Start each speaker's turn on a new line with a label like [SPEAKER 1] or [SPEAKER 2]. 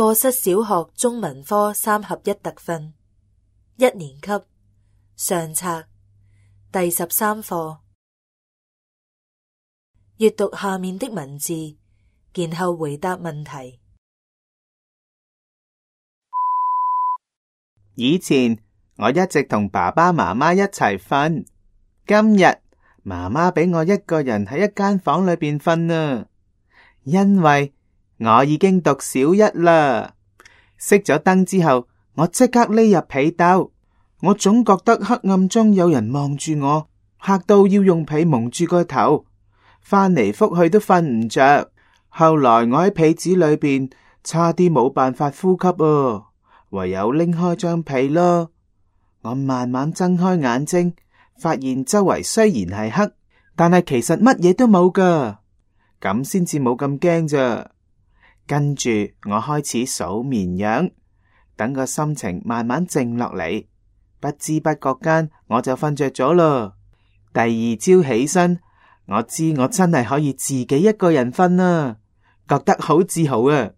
[SPEAKER 1] 課室小學中文科3合1特訓，1年級上冊第13課。閱讀下面的文字，然後回答問題。
[SPEAKER 2] 以前我一直同爸爸媽媽一齊瞓，今日媽媽俾我一個人喺一間房裏邊瞓啊，因為我已經讀小1啦。熄咗燈之後，我即刻匿入被竇。我總覺得黑暗中有人望住我，嚇到要用被蒙住個頭，翻嚟覆去都瞓唔着。後來我喺被子裏邊差啲冇辦法呼吸啊，唯有拎開張被咯。我慢慢睜開眼睛，發現周圍雖然係黑，但係其實乜嘢都冇噶，咁先至冇咁驚咋。跟住我開始數綿羊，等個心情慢慢靜落嚟，不知不覺間我就瞓着咗咯。第二朝起身，我知我真係可以自己一個人瞓啦，覺得好自豪啊！